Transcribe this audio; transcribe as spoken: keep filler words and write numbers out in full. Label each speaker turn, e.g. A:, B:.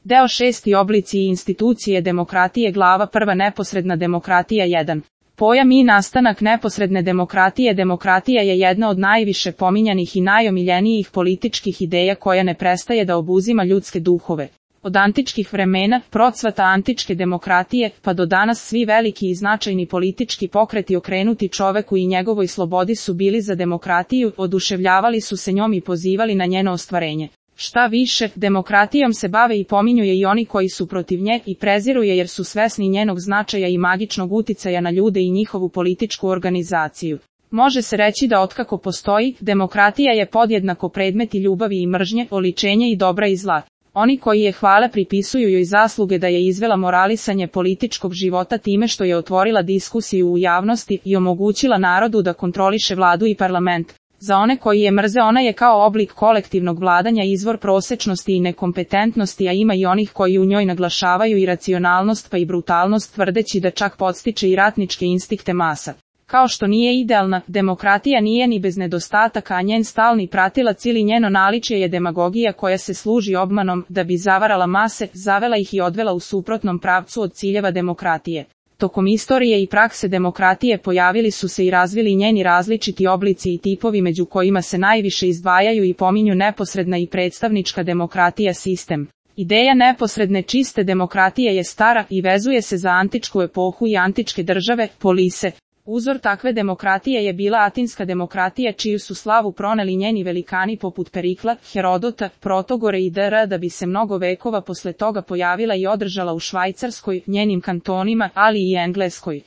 A: Deo šesti oblici i institucije demokratije glava prva neposredna demokratija jedan. Pojam i nastanak neposredne demokratije. Demokratija je jedna od najviše pominjanih i najomiljenijih političkih ideja koja ne prestaje da obuzima ljudske duhove. Od antičkih vremena, procvata antičke demokratije, pa do danas svi veliki i značajni politički pokreti okrenuti čoveku i njegovoj slobodi su bili za demokratiju, oduševljavali su se njom i pozivali na njeno ostvarenje. Šta više, demokratijom se bave i pominju je i oni koji su protiv nje i preziru je jer su svesni njenog značaja i magičnog uticaja na ljude i njihovu političku organizaciju. Može se reći da otkako postoji, demokratija je podjednako predmet i ljubavi i mržnje, oličenje i dobra i zla. Oni koji je hvale pripisuju joj zasluge da je izvela moralisanje političkog života time što je otvorila diskusiju u javnosti i omogućila narodu da kontroliše vladu i parlament. Za one koji je mrze ona je kao oblik kolektivnog vladanja izvor prosečnosti i nekompetentnosti, a ima i onih koji u njoj naglašavaju i racionalnost pa i brutalnost tvrdeći da čak podstiče i ratničke instinkte masa. Kao što nije idealna, demokratija nije ni bez nedostataka, a njen stalni pratilac ili njeno naličje je demagogija koja se služi obmanom da bi zavarala mase, zavela ih i odvela u suprotnom pravcu od ciljeva demokratije. Tokom istorije i prakse demokratije pojavili su se i razvili njeni različiti oblici i tipovi među kojima se najviše izdvajaju i pominju neposredna i predstavnička demokratija sistem. Ideja neposredne čiste demokratije je stara i vezuje se za antičku epohu i antičke države, polise. Uzor takve demokratije je bila atinska demokratija čiju su slavu proneli njeni velikani poput Perikla, Herodota, Protagore i dr. da bi se mnogo vekova posle toga pojavila i održala u Švajcarskoj, njenim kantonima, ali i Engleskoj.